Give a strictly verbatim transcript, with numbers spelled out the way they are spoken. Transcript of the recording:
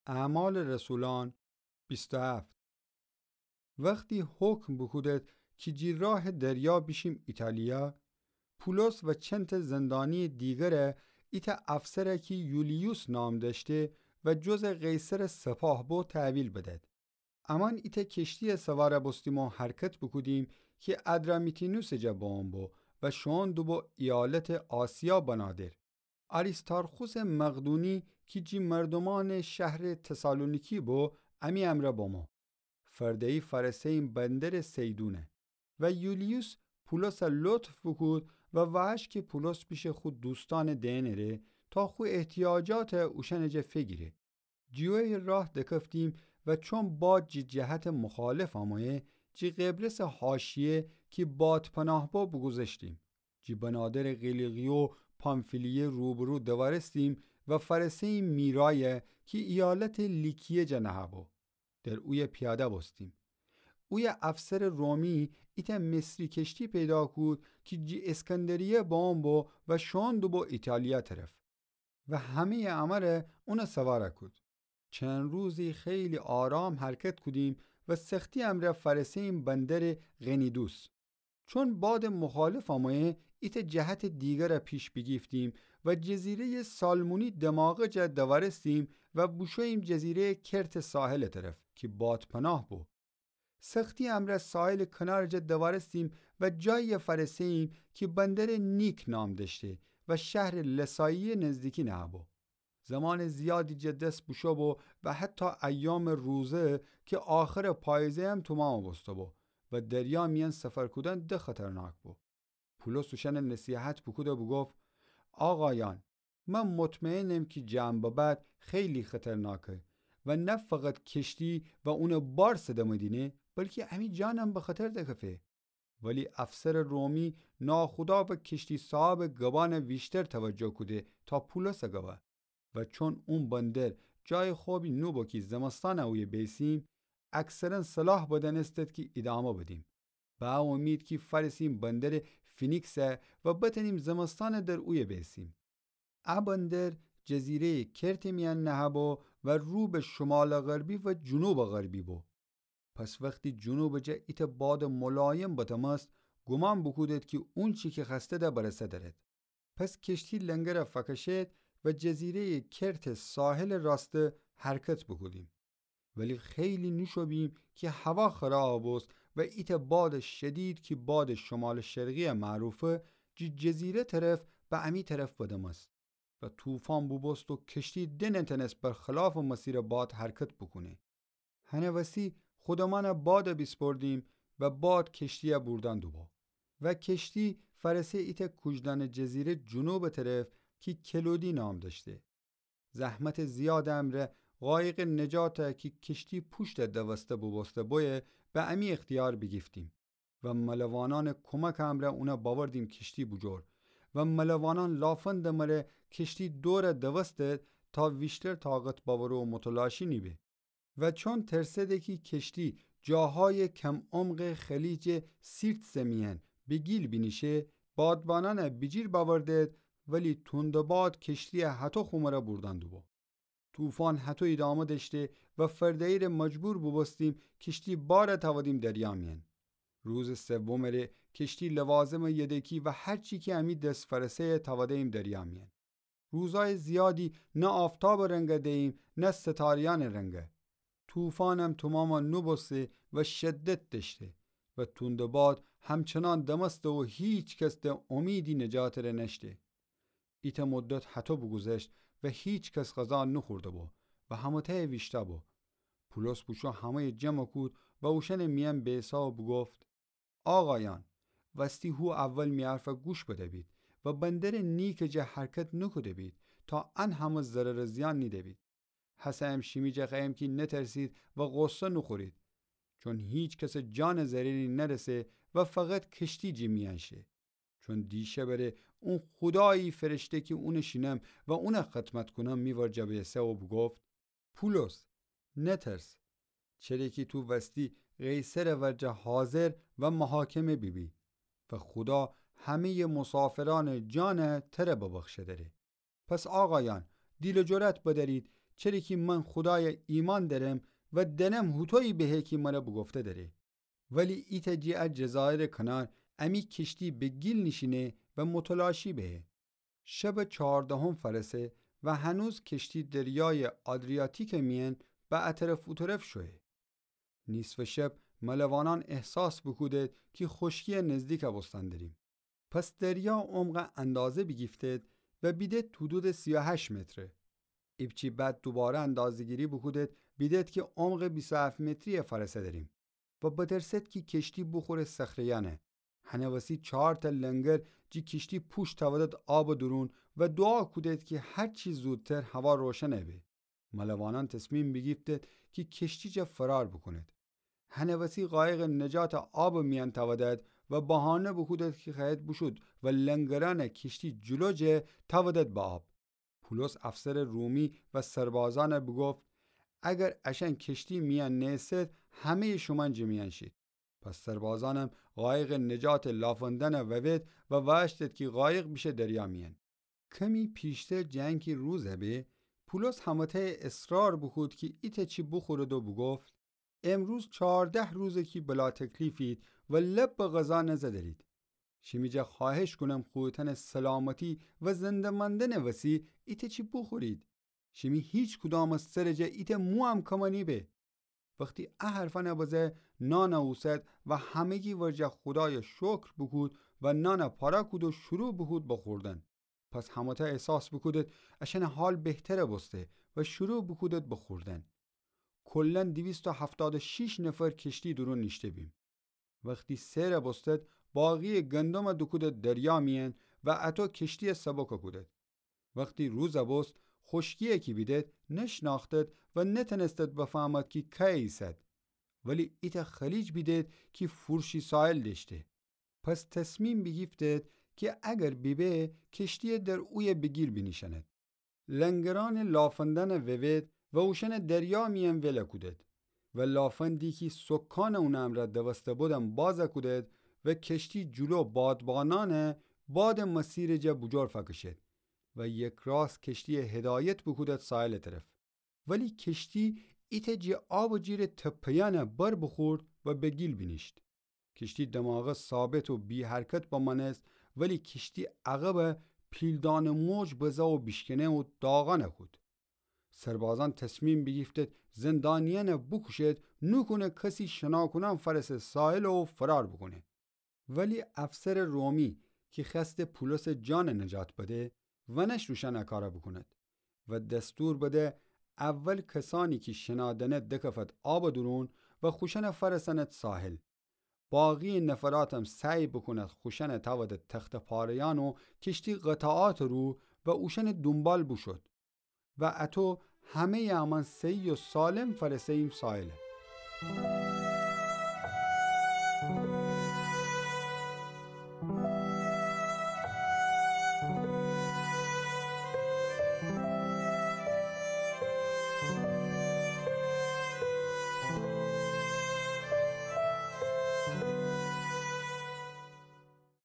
اعمال رسولان بیست و هفت. وختی حکم بوکودد کی جی راه دریا بیشیم ایتالیا، پولس و چندتأ زندانی دیگره ایتأ افسره کی یولیوس نام دأشته و جزٚ قیصرٚ سپاه بو تحویل بدد. امأن ایتأ کشتیی سوار بوستیم و حرکت بوکودیم کی ادرامیتینوسٚ جا بمأن بو و شوئون دوبو ایالتٚ آسیا بنادر. آریستارخوسٚ مقدونی کی جی مردومأنٚ شهرٚ تسالونیکی بو، امی امرأ بمو. فرده‌یی فأرسه‌ییم بندرٚ صیدونه و یولیوس پولسَ لطف بوکود و وأهش کی پولس پیشٚ خو دوستأنٚ دئنٚ ره تا خو احتیاجاتَ اوشأنٚ جا فیگیره. جیویی راه دکفتیم و چون باد جی جهتٚ مخالف آمویه، جی قبرسٚ حاشیه کی بادپناه بو بوگوذشتیم. جی بنادرٚ قیلیقیه و پامفیلیه روبرو دوأرستیم و فأرسه‌ییم میرایه کی ایالتٚ لیکیه جا نهه‌بو. در اویه پیاده بوستیم. اویه افسرٚ رومی ایتأ مصری کشتی پیدا کود کی جی اسکندریه بمأن بو و شوئون دوبو ایتالیا طرف. و همه‌یٚ امره اونَ سوار کود. چند روزی خیلی آرام حرکت کودیم و سختی امرأ فأرسه‌ییم بندرٚ قنیدوس. چون بادٚ مخالف آمویه، ایتأ جهتٚ دیگرَ پیش بیگیفتیم و جزیره‌یٚ سالمونی دماغه جا دوأرستیم و بوشوییم جزیره‌یٚ کرتٚ ساحلٚ طرف کی بادپناه بو. سختی امرأ ساحلٚ کنارٚ جا دوأرستیم و جایی فأرسه‌ییم کی بندرٚ نیک نام دأشته و شهرٚ لسایی‌یٚ نزدیکی نهه‌بو. زمانٚ زیادی جٚه دس بوشو بو و حتی ایامٚ روزه کی آخرٚ پاییزه‌یم تومام بوسته بو و دریا میأن سفر کودن ده خطرناک بو. پولس اوشأنَ نصیحت بوکود و بوگفت: آقایأن، من مطمئنم کی جه ان ببد خیلی خطرناکه و نه فقط کشتی و اونٚ بار صدمه دینه، بلکی امی جانم به خطر دکفه. ولی افسرٚ رومی ناخودآگاه کشتی صاحبٚ گبأنَ ویشتر توجه کوده تا پولسٚ گبأ. و چون اون بندر جایٚ خوبی نوبو کی زمستانَ اویه بیسیم، اکثراً صلاح بدأنستد کی ایدامه بدیم، به ا اومید کی فأرسیم بندرٚ فینیکسَ و بتأنیم زمستانَ در اویه بیسیم. ا بندر جزیره‌یٚ کرتٚ میأن نهه‌بو و رو به شمالٚ غربی و جنوبٚ غربی بو. پس وختی جنوبٚ جا ایتأ بادٚ ملایم بدمست، گومان بوکودد کی اونچی کی خوأستد برسه درد. پس کشتی لنگرَ فکشید و جزیره‌یٚ کرتٚ ساحلٚ راسته حرکت بوکودیم. ولی خیلی نوشو بیم کی هوا خراب بوست و ایتأ بادٚ شدید کی بادٚ شمالٚ شرقی‌یَ معروفه، جی جزیره طرف به امی طرف بدمست و طوفان بوبوست و کشتی دنتأنست برخلافٚ مسیرٚ باد حرکت بوکونه. هنٚ وسی خودمأنَ بادَ بیسپردیم و باد کشتی‌یَ بوردن دوبو. و کشتی فأرسه ایتأ کوجدانٚ جزیره جنوبٚ طرف کی کلودی نام دأشته. زحمتٚ زیادٚ امرأ قایقٚ نجاتَ کی کشتی پوشتَ دوسته بوبوسته بویه، به امی اختیار بیگیفتیم. و ملوانأنٚ کمکٚ امرأ اونَ بأوردیم کشتی بوجور. و ملوانأن لافندٚ مره کشتی دورَ دوستد تا ویشتر طاقت بأوره و متلاشی نیبه. و چون ترسده کی کشتی جاهایٚ کم‌عمقٚ خلیجٚ سیرتسٚ میأن به گیل بینیشه، بادبانأنَ بیجیر بأوردد، ولی توندٚ باد کشتی‌یَ هطو خو مره بوردن دوبو. طوفان هطو ایدامه دأشته و فرده‌یی‌ره مجبور بوبوستیم کشتی بارَ تأودیم دریا میأن. روزٚ سومٚ ره کشتی، لوازمٚ یدکی و هرچی کی امی دس فأرسه‌یَ تأوده‌ییم دریا میأن. روزایٚ زیادی نه آفتابٚ رنگَ دییم، نه ستاره‌یأنٚ رنگَ. طوفانم تومامَ نوبوسته و شدت دأشته و توندٚ باد همچنان دمسته و هیکس ده اومیدی نجاتٚ ره نأشته. ایتأ مدت هطو بوگوذشت و هیکس غذا نوخورده بو و همه‌تأ ویشتأ بو. پولس بوشو همه‌یَ جمع کود و اوشأنٚ میأن بیسا و بوگفت: آقایأن، وستی هو اول می حرفَ گوش بده‌بید و بندرٚ نیکٚ جا حرکت نوکوده‌بید تا ان همه ضرر و زیان نیده‌بید. هسه‌یم شیمی جا خوأیم کی نترسید و غصه نوخورید، چون هیکسٚ جانٚ ضرری نرسه و فقط کشتی جی میأن شه. چون دیشبٚ ره اون خودایی فرشته کی اونٚ شینم و اونَ خدمت کونم می ورجه بیسه و بوگفت: پولس، نترس، چره کی تو وستی قیصرٚ ورجه حاضر و محاکمه بیبی و خودا همه‌یٚ مسافرأنٚ جانَ تره ببخشه دره. پس آقایأن، دیل و جرأت بدأرید چره کی من خودایَ ایمأن دأرم و دأنم هوطویی بهه کی مرَ بوگفته دأره. ولی ایتأ جٚه ا جزایرٚ کنار امی کشتی به گیل نیشینه و متلاشی بهه. شبٚ چهاردهم فأرسه و هنوز کشتی دریایٚ آدریاتیکٚ میأن به ا طرف او طرف شویه. نیصفٚ شب ملوانأن احساس بوکودید کی خوشکییٚ نزدیک بوستن دأریم. پس دریا عمقَ اندازه بیگیفتید و بیدید حدودٚ سی و هشت متره. ایپچی بعد دوباره اندازه‌گیری بوکودید، بیدید کی عمقٚ بیست و هفت متریی فأرسه دأریم و بترسید کی کشتی بوخوره صخره‌یأنَ. هنٚ وسی چارتأ لنگر جٚه کشتی پوشت تأودید آبٚ دورون و دوعا کودید کی هرچی زودتر هوا روشن به. ملوانأن تصمیم بیگیفتید کی کشتی جا فرار بوکونید. هنٚ وسی قایقٚ نجاتَ آبٚ میأن تأودید و بهانه بوکودید کی خوأیید بوشود و لنگرأنَ کشتی جلو جه تأودید به آب. پولس افسرٚ رومی و سربازأنَ بوگفت: اگر اشأن کشتی میأن نیسید، همه‌یٚ شومأن جٚه میأن شید. پس سربازأنم قایقٚ نجاتٚ لافندنَ ووید و وأشتید کی قایق بیشه دریا میأن. کمی پیشتر جٚه انکی روز به، پولس همه‌تأیَ اصرار بوکود کی ایتأ چی بوخورید و بوگفت: امروز چهارده روزه کی بلاتکلیفید و لب به غذا نزدرید. شیمی جا خوأهش کونم خویتأنٚ سلامتی و زنده مأندنٚ وسی ایتأ چی بوخورید. شیمی هیچکدامٚ سرٚ جا ایتأ مویم کم نیبه. وختی ا حرفأنَ بزه، نانَ اوسد و همگی ورجه خودایَ شکر بوکود و نانَ پاره کود و شروع بوکود به خوردن. پس همه‌تأ احساس بوکودید اشأنٚ حال بهتر بوسته و شروع بوکودید به خوردن. کلاً دویست و هفتاد و شیش نفر کشتی دورون نیشته بیم. وختی سیر بوستید، باقییٚ گندمَ دوکودید دریا میأن و اطو کشتییَ سبک کودید. وختی روز بوست، خوشکییَ کی بیدید نشنأختید و نتأنستید بفهمید کی کأیه ایسد. ولی ایتأ خلیج بیدید کی فورشی ساحل دأشته. پس تصمیم بیگیفتید کی اگر بیبه، کشتییَ در اویه به گیل بینیشأنید. لنگرأنٚ لافندنَ ووید و اوشأنَ دریا میأن ول کودید و لافندی کی سکانٚ اونٚ امرأ دوسته بودم باز کودید و کشتی جلو بادبانأنٚ بادٚ مسیرٚ جا بوجور فکشید و یکراست کشتییَ هدایت بوکودید ساحلٚ طرف. ولی کشتی ایتأ جٚه آبٚ جیرٚ تپه‌یأن بر بوخورد و به گیل بینیشت. کشتی دماغه ثابت و بی‌حرکت بمأنست، ولی کشتی عقبَ پیلدانٚ موج بزه و بیشکنه و داغأن کود. سربازأن تصمیم بیگیفتید زندانیأنَ بوکوشید، نوکونه کسی شنا کونأن فأرسه ساحل و فرار بوکونه. ولی افسرٚ رومی کی خوأسته پولسٚ جانَ نجات بده، ونشت اوشأن ا کارَ بوکونید و دستور بده اول کسأنی کی شنا دأنید دکفید آبٚ دورون و خوشأنَ فأرسأنید ساحل. باقییٚ نفراتم سعی بوکونید خوشأنَ تأودید تخته‌پاره‌یأن و کشتی قطعاتٚ رو و اوشأنٚ دونبال بوشود. و اطو همه‌یٚ امأن صحیح و سالم فأرسه‌ییم ساحلَ.